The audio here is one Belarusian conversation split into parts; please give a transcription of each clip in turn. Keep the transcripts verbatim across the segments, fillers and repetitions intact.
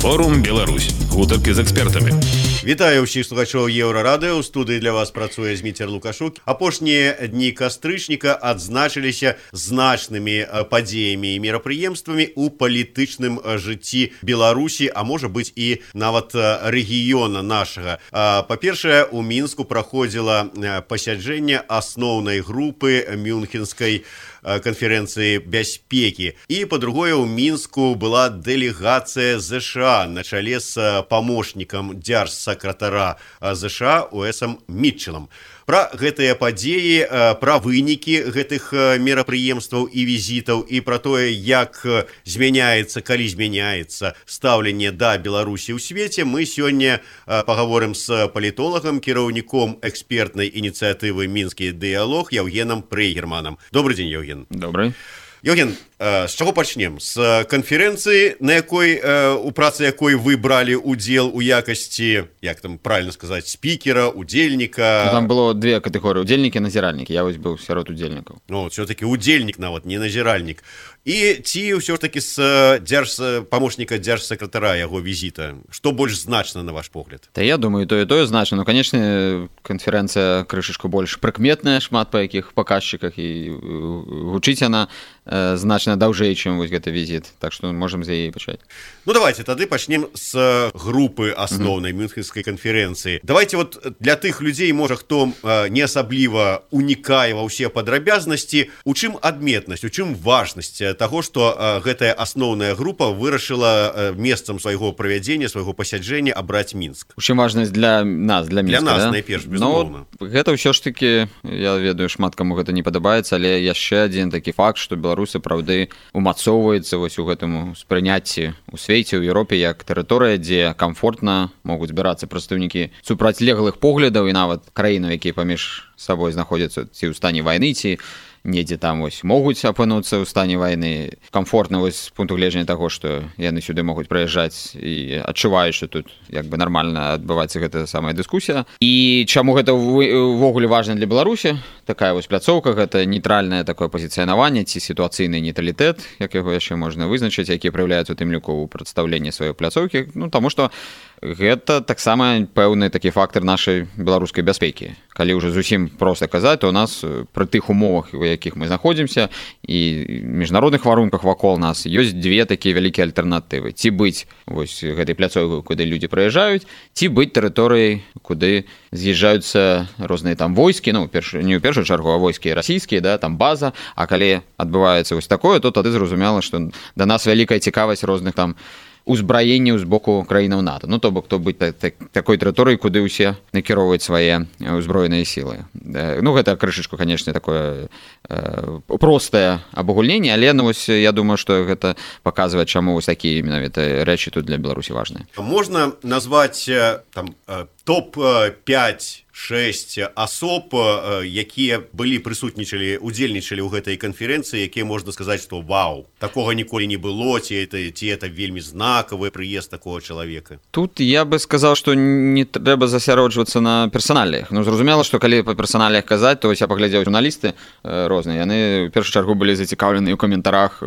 Форум Беларусь. Гутаркі з экспертамі. Вітаю ўсіх слухачоў Еўрарадыё. У студыі для вас працуе Зміцер Лукашук. Апошнія дні кастрычніка адзначыліся значнымі падзеямі і мерапрыемствамі ў палітычным жыцці Беларусі, а можа быць і нават рэгіёна нашага. Па-першае, у Мінску праходзіла пасяджэнне асноўнай групы Мюнхенскай конференции бяспекі. И, по-другое, у Мінску была делегация США на чале с помощником дзяржсакратара США Уэсом Митчеллом. Пра гэтыя падзеі, пра вынікі гэтых мерапрыемстваў і візітаў і пра тое, як змяняецца, калі змяняецца стаўленне да Беларусі ў свеце, мы сёння пагаворым з палітолагам, кіраўніком экспертнай ініцыятывы «Мінскі дыялог» Яўгенам Прейгерманам. Добрый день, Яўген. Добрый. Яўген, з чаго пачнем? З канферэнцыі, на якой, у працы якой вы бралі удзел у якасці, як там правильно сказаць, спікера, удзельніка? Ну, там было две катэгорыі, удзельнікі і назіральнікі. Я вось быў сярод удзельнікаў. Ну, все-таки удзельнік нават, не назіральнік. І ці ўсё ж таки з дзярж памочніка дзяржсакратара яго візіта? Што больш значна, на ваш погляд? Та я думаю, тое тое значна. Ну, канечне, канферэнцыя крышачку больш прыкметная, шмат па якіх паказчыках, і гучыць яна э, значна даўжэй, чым вось гэты візіт. Так што можам з яе пачаць. Ну, давайте тады пачнем з групы асноўнай Мюнхенскай канферэнцыі. Давайте вот для тых людзей, можа, хто э, не асабліва унікае ва ўсе падрабязнасці, у чым адметнасць, у чым важнасць таго, што э, гэтая асноўная група вырашыла э, месцам свайго правядзення, свайго пасяджэння абраць Мінск. У чым важнасць для нас, для Мінска, для нас, да? найперш, безумоўна. Ну, гэта ўсё ж таки, я ведаю, шмат каму гэта не падабаецца, але яшчэ адзін такі факт, што Беларусь сапраўды умацоўваецца вось у гэтым спрыняцці у свеце, у Еўропе, як тэрыторыя, дзе камфортна могуць збірацца прадстаўнікі супрацьлеглых поглядаў і нават краінаў, якія паміж сабой знаходзяцца ці ў стане вайны, ці недзе там вось могуць апынуцца ў стане вайны. Камфортна вось з пункту гледжання таго, што яны сюды могуць прыязджаць і адчуваюць, што тут як бы нармальна адбываецца гэтая самая дыскусія. І чаму гэта ўвогуле важна для Беларусі? Такая вось пляцоўка, гэта нейтральнае такое пазіцыянаванне ці сітуацыйны нейтралітэт, як яго яшчэ можна вызначыць, які праяўляецца у тым ліку ў прадстаўленні сваёй пляцоўкі. Ну, таму што гэта таксама пэўны такі фактар нашай беларускай бяспекі. Калі ўжо зусім проста казаць, то у нас пры тых умовах, у якіх мы знаходзімся, і міжнародных варунках вакол нас ёсць две такія вялікія альтэрнатывы. Ці быць вось гэтай пляцоўкай, куды людзі прыязджаюць, ці быць тэрыторыяй, куды з'язджаюцца розныя там войскі, ну, перш, не ў першую чаргу, а войскі расійскія, да, там база, а калі адбываецца вось такое, то тады зразумела, што да нас вялікая цікавасць розных там узбраенняў з боку краінаў НАТО. Ну, то бок, то быць так, так, такой тэрыторыі, куды ўсе накіроўваюць свае ўзброеныя сілы. Ну, гэта крышачку, канешне, такое э, простае абагульненне, але, ну, вось, я думаю, што гэта паказвае, чаму вось такія менавіта рэчы тут для Беларусі важныя. Можна назваць там топ пяць шэсць асоб, якія былі прысутнічалі, удзельнічалі ў гэтай канферэнцыі, якія можна сказаць, што вау, такога ніколі не было, ці это, ці это вельмі знакавы прыезд такого чалавека. Тут я бы сказаў, што не трэба засяроджвацца на персаналіях. Ну, зразумела, што калі па персаналіях казаць, то я паглядзеў журналісты розныя, яны ў першую чаргу былі зацікаўлены ў каментарах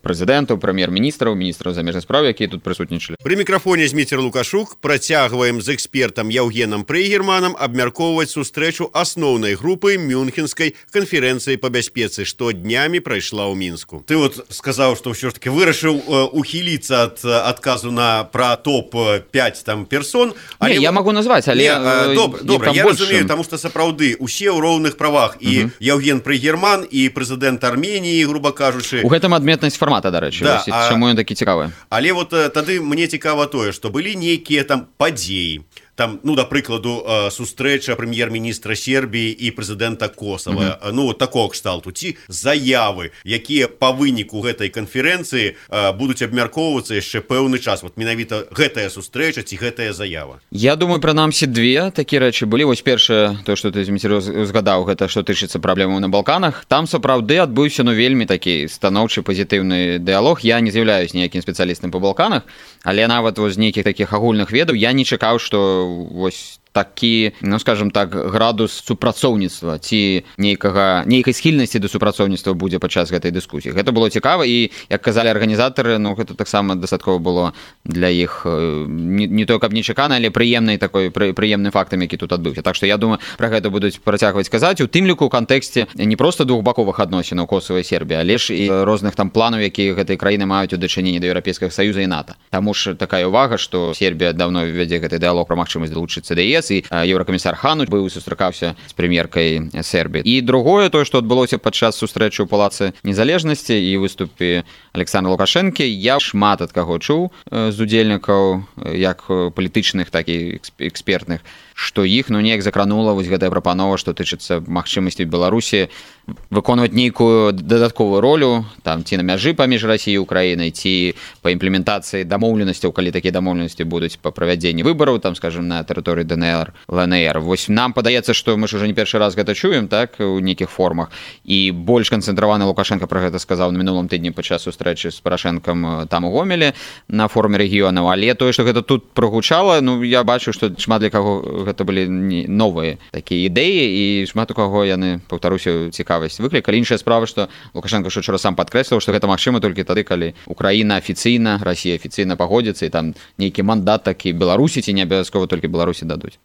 прэзідэнтаў, прэм'ер-міністраў, міністраў замежных спраў, якія тут прысутнічалі. Пры мікрафоне Зміцер Лукашук. Працягваем з экспертам Яўгенам Прейгерманам абмяркоўваць сустрэчу асноўнай групы Мюнхенскай канферэнцыі па бяспецы, што днямі прайшла ў Мінску. Ты вот сказаў, што ўсё ж таки вырашыў э, ухіліцца ад адказу на пра топ пяць там персон. Але не, я могу назваць, але... Не, э, добра, добра, я большим... разумею, таму што сапраўды усе ў роўных правах. І uh-huh. Яўген Прейгерман, і прэзідэнт Арменіі, груба кажучы. У гэтым адметнасць фармата, дарэчы, да, а... чаму ён такі цікавы. Але вот тады мне цікава тое, што былі нейкія там падзеі. Там, ну, да прыкладу, сустрэча прэм'ер-міністра Сербіі і прэзідэнта Косава, mm-hmm. ну, такого кшталту, ці заявы, якія па выніку гэтай канферэнцыі будуць абмяркоўвацца яшчэ пэўны час. Вот менавіта гэтая сустрэча ці гэтая заява. Я думаю, прынамсі две такія рэчы былі. Вось першае, то, што ты, Зміцер, узгадаў, гэта што тычыцца праблемаў на Балканах. Там сапраўды адбыўся, ну, вельмі такі станоўчы пазітыўны дыялог. Я не з'яўляюсь ніякім спецыялістам па Балканах, але нават вось з нейкіх такіх агульных ведаў я не чакаў, што вось такі, ну скажем так, градус супрацоўніцтва ці нейкага нейкай схільнасці да супрацоўніцтва будзе падчас гэтай дыскусіі. Гэта было цікава, і як казалі арганізатары, ну гэта таксама дастаткова было для іх не, не то каб нечакана, але прыемнай такой прыемным фактам, які тут адбыўся. Так што я думаю, пра гэта будуць працягваць казаць, у тым ліку ў кантэксце не проста двухбаковых адносінаў Косава і Сербіі, але ж і розных там планаў, якія гэтыя краіны маюць у дачыненні да Еўрапейскага Саюза і НАТО. Таму ж такая ўвага, што Сербія даўно вядзе гэты дыялог пра магчымасць далучыцца да ЕС, і еўракамісар Хан быў сустракаўся з прэм'еркай Сербіі. І другое, тое, што адбылося падчас сустрэчы ў Палацы Незалежнасці і выступе Александра Лукашэнкі, я шмат ад каго чуў з удзельнікаў, як палітычных, так і экспертных, што іх ну неяк закранула вось гэтая прапанова, што тычыцца магчымасці Беларусі выконваць нейкую дадатковую ролю там ці на мяжы паміж Расіяй і Украінай, ці па імплементацыі дамоўленасцяў, калі такія дамоўленасці будуць па правядзенні выбараў, там скажем, на тэрыторыі ДНР, ЛНР. Вось нам падаецца, што мы ж уже не першы раз гэта чуем, так, у нейкіх формах, і больш канцэнтраваны Лукашенко пра гэта сказаў на мінулым тыдні падчас сустрэчы з Парашэнкам там у Гомелі на форуме рэгіёнаў, але тое, што гэта тут прогучала, ну я бачу, што шмат для каго гэта былі новыя такія ідэі, і шмат у каго яны, паўтаруся, цікавасць выклікалі. Іншая справа, што Лукашенко што учора сам падкрэсліў, што гэта магчыма толькі тады, калі Украіна афіцыйна, Расія афіцыйна пагодзіцца, і там нейкі мандат такі Беларусі, ці не абавязкова толькі Беларусі дадуць.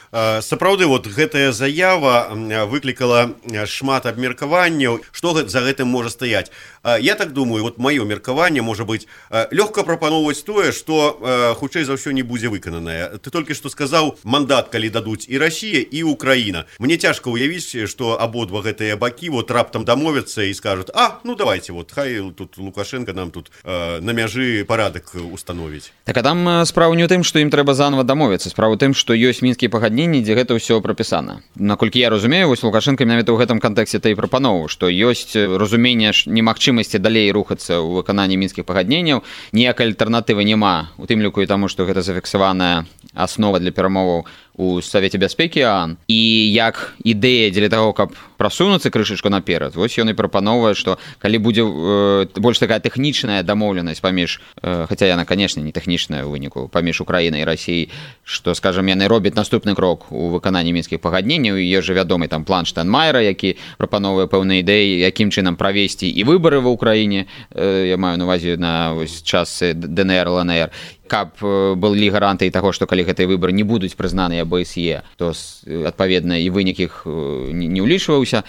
Сапраўды, вот гэтая заява выклікала шмат абмеркаванняў, што за гэтым можа стаяць. Я так думаю, вот маё меркаванне можа быць лёгка прапаноўваць тое, што хутчэй за ўсё не будзе выкананае. Ты толькі што сказаў, мандат калі дадуць і Расія, і Украіна. Мне цяжка ўявіць, што абодва гэтыя бакі вот раптам дамовяцца і скажуць: а, ну давайте, вот хай тут Лукашенко нам тут на мяжы парадак установіць. Так, а там справа не ў тым, што ім трэба заново дамовіцца. Справа ў тым, што ёсць мінскія пагадненні, дзе гэта ўсё прапісана. Наколькі я разумею, вось Лукашенко менавіта ў гэтым кантэксце та і прапановаў, што ёсць разуменне немагчымасці далей рухацца ў выкананні мінскіх пагадненняў, ніякай альтэрнатывы няма, у тым ліку і таму, што гэта зафіксаваная аснова для перамоваў у Савеце бяспекі ААН, і як ідэя дзеля таго, каб прасунуцца крышачку наперад, вось ён і прапановвае, што калі будзе э, больш такая тэхнічная дамоўленасць паміж, э, хаця яна, канешне, не тэхнічная ў выніку, паміж Украінай і Расіяй, што, скажам, яны робяць наступны крок у выкананні мінскіх пагадненняў, і ёсць жа вядомы там план Штайнмайера, які прапановвае пэўныя ідэі, якім чынам правесці і выбары ва Ўкраіне, э, я маю на ўвазе на ось час ДНР, ЛНР, каб былі гарантыі таго, што калі гэтыя выбары не будуць прызнаныя АБСЕ, то адпаведна і вынік іх не ўлічваўся.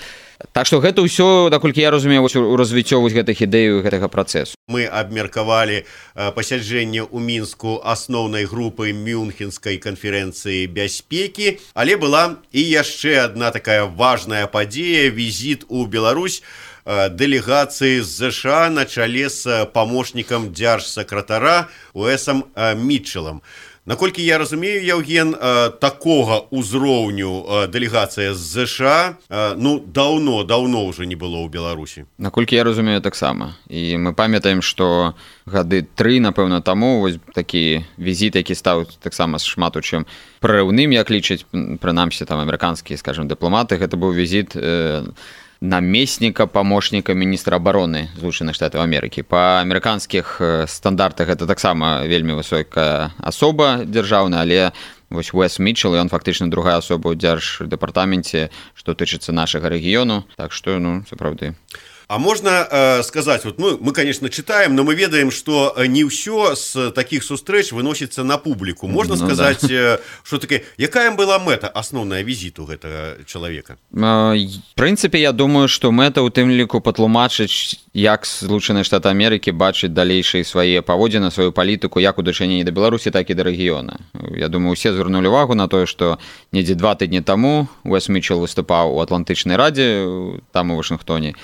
Так што гэта ўсё, наколькі я разумею, у развіццё гэтых ідэй гэтага працэсу. Мы абмеркавалі пасяджэнне ў Мінску асноўнай групы Мюнхенскай канферэнцыі бяспекі, але была і яшчэ адна такая важная падзея, візіт у Беларусь дэлегацыі з ЗША на чале з памочнікам дзяржсакратара Уэсам Мітчелам. Наколькі я разумею, Яўген, такога ўзроўню дэлегацыя з ЗША ну даўно даўно ўжо не было ў Беларусі. Наколькі я разумею, таксама. І мы памятаем, што гады тры, напэўна, таму вось такі візіт, які стаў таксама шмат у чым прарыўным, як лічаць прынамсі там амерыканскія, скажем, дыпламаты, гэта быў візіт э, намесніка памочніка міністра абароны Злучаных Штатаў Амерыкі. Па амерыканскіх стандартах гэта таксама вельмі высокая асоба дзяржаўная, але вось Уэс Мітчел, ён фактычна другая асоба ў дзярждэпартаменце, што тычыцца нашага рэгіёну, так што, ну, сапраўды. А можна э, сказаць, вот, ну, мы, конечно, читаем, но мы ведаем, что не ўсё з такіх сустрэч выносіцца на публіку. Можна ну, сказаць, да. Что таке, якая была мэта асноўная візіту гэтага чалавека? В прынцыпе, я думаю, што мэта ў тым ліку патлумачыць, як Злучаныя Штаты Амерыкі бачаць далейшыя свае паводзіны, сваю палітыку, як у дачыненні да Беларусі, так і да рэгіёна. Я думаю, усе звярнулі увагу на тое, што недзе два тыдні таму Уэс Мітчел выступаў у Атлантычнай радзе, там у Вашынгтоне,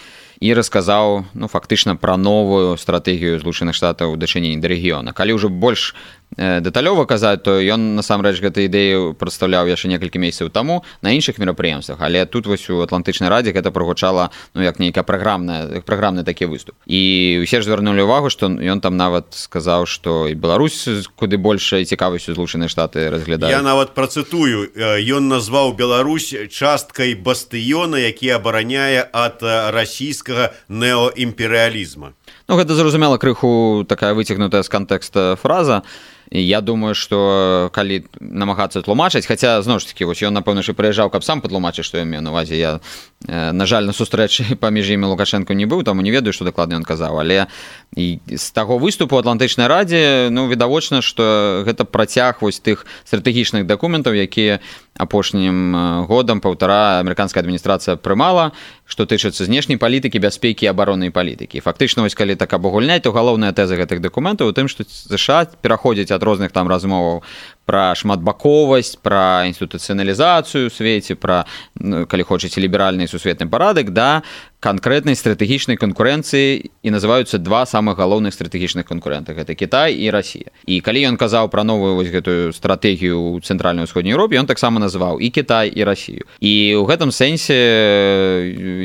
і расказаў, ну, фактычна пра новую стратэгію Злучаных Штатаў у дачыненні да рэгіёна. Калі ўжо больш дэталёва казаць, то ён насамрэч гэту ідэю прадстаўляў яшчэ некалькі месяцаў таму на іншых мерапрыемствах, але тут вось у Атлантычнай радзе гэта прагучала, ну, як нейкая праграмная, праграмны такі выступ. І ўсе ж звярнулі увагу, што ён там нават сказаў, што і Беларусь куды большай цікавасцю Злучаныя Штаты разглядаюць. Я нават працытую, ён назваў Беларусь часткай бастыёна, які абараняе ад расійскага неоімперыялізма. Ну, гэта, зразумела, крыху такая выцягнутая з кантэкста фраза. і я думаю, што калі намагацца тлумачыць, хаця зноў ж такі вось ён напэўна ж прыязджаў, каб сам патлумачыць, што я меў на увазе. Я на жаль на сустрэчы паміж імі Лукашенко не быў, таму не ведаю, што дакладна ён казаў, але і з таго выступу ў Атлантычнай радзе ну відавочна, што гэта працяг вось тых стратэгічных дакументаў, якія апошнім годам паўтара амерыканская адміністрацыя прымала, што тычыцца знешняй палітыкі, бяспекі і абароннай палітыкі. Фактычна вось калі так абагульняць, то галоўная тэза гэтых дакументаў у тым, што ЗША пераходзіць ад розных там размоваў пра шматбаковасць, пра інстытуцыяналізацыю ў свеце, пра, калі хочаце, ліберальны сусветны парадак, да канкрэтнай стратэгічнай канкурэнцыі, і называюцца два самых галоўных стратэгічных канкурэнта. Гэта Кітай і Расія. І калі ён казаў пра новую вось гэтую стратэгію ў цэнтральнай усходняй Еўропе, ён таксама называў і Кітай, і Расію. І ў гэтым сэнсе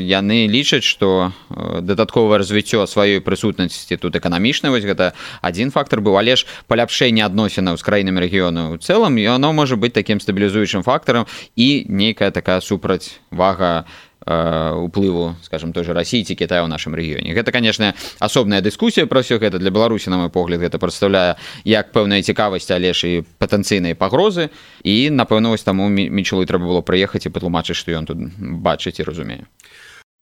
яны лічаць, што дадатковае развіццё сваёй прысутнасці тут эканамічнай, вось гэта адзін фактар быў, але ж паляпшэнне адносінаў з краінамі рэгіёну ў цэлым, яно можа быць такім стабілізуючым фактарам і нейкая такая супрацьвага уплыву, скажем, той же России ці Китая ў нашым рэгіёне. Гэта, конечно, асобная дыскусія пра ўсё гэта. Для Беларусі, на мой погляд, гэта прадстаўляе як пэўная цікавасць, але ж і патэнцыйныя пагрозы. І, напэўна, вось таму Мічелу трэба было прыехаць і патлумачыць, што ён тут бачыць і разумее.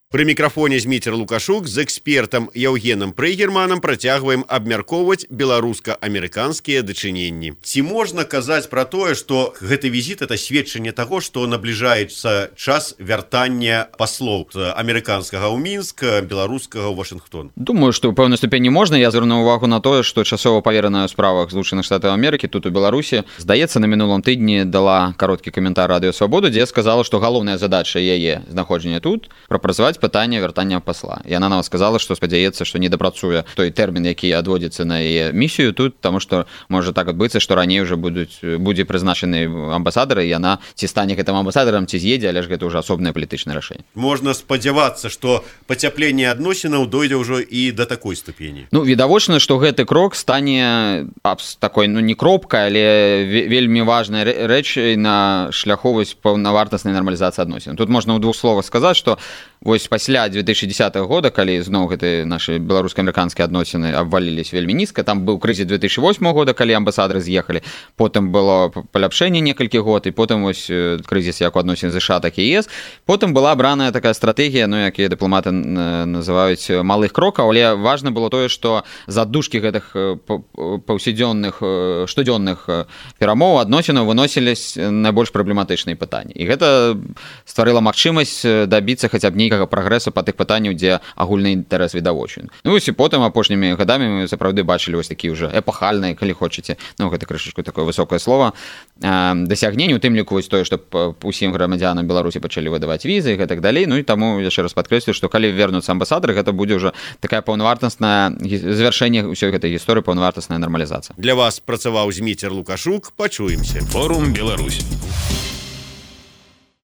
Пры мікрафоне Зміцер Лукашук з экспертам Яўгенам Прыгерманам працягваем абмяркоўваць беларуска-амерыканскія дачыненні. Ці можна казаць пра тое, што гэты візіт это сведчанне таго, што набліжаецца час вяртання паслоў амерыканскага ў Мінск, беларускага ў Вашынгтон? Думаю, што ў пэўнай ступені можна. Я звярну ўвагу на тое, што часова павераная ў справах Злучаных Штатаў Амерыкі тут у Беларусі, здаецца, на мінулым тыдні дала кароткі каментар Радыё Свабода, дзе сказала, што галоўная задача яе знаходжання тут прапрацаваць пытанне вяртання пасла. Яна нам сказала, што спадзяецца, што не дапрацуе той тэрмін, які адводзіцца на яе місію тут, таму што можа так адбыцца, што раней уже будуць будзе прызначаны амбасадары, і яна ці стане гэтым амбасадарам, ці з'едзе, але ж гэта ўжо асобнае палітычнае рашэнне. Можна спадзявацца, што пацяпленне адносінаў дойдзе ўжо і да такой ступені. Ну, відавочна, што гэты крок стане такой, ну, не кропкай, але вельмі важнай рэчай на шляху вось паўнавартаснай нармалізацыі адносін. Тут можна ў двух словах сказаць, што вось пасля две тысячи десятого года, калі зноў гэты нашы беларуска-амерыканскія адносіны абвалілись вельмі нізка, там быў крызіс две тысячи восьмого года, калі амбасадары з'ехалі, потым было паляпшэнне некалькі год, і потым вось крызіс як у адносін ЗША, так і ЕС. Потым была абраная такая стратэгія, ну, якія дыпламаты называюць малых крокаў, але важна было тое, што з аддушкі гэтых паўсядзённых, штодзённых перамоў адносінаў выносілись найбольш праблематычныя пытанні. І гэта стварыла магчымасць дабіцца хаця б нейкага прагрэсу па тых пытанняў, дзе агульны інтарэс відавочен. Ну, і потым апошнімі гадамі мы сапраўды бачылі вось такі ўжо эпахальныя, калі хочаце, ну, гэта крышачку такое высокае слова, дасягненні, у тым ліку вось тое, што усім грамадзянам Беларусі пачалі выдаваць візы і гэтак далей. Ну, і таму яшчэ раз падкрэслю, што калі вернуцца амбасадары, гэта будзе ўжо такая паўнавартаснае завяршэнне ўсёй гэтай гісторыі, паўнавартасная нармалізацыя. Для вас працаваў Зміцер Лукашук. Пачуемся. Форум Беларусь.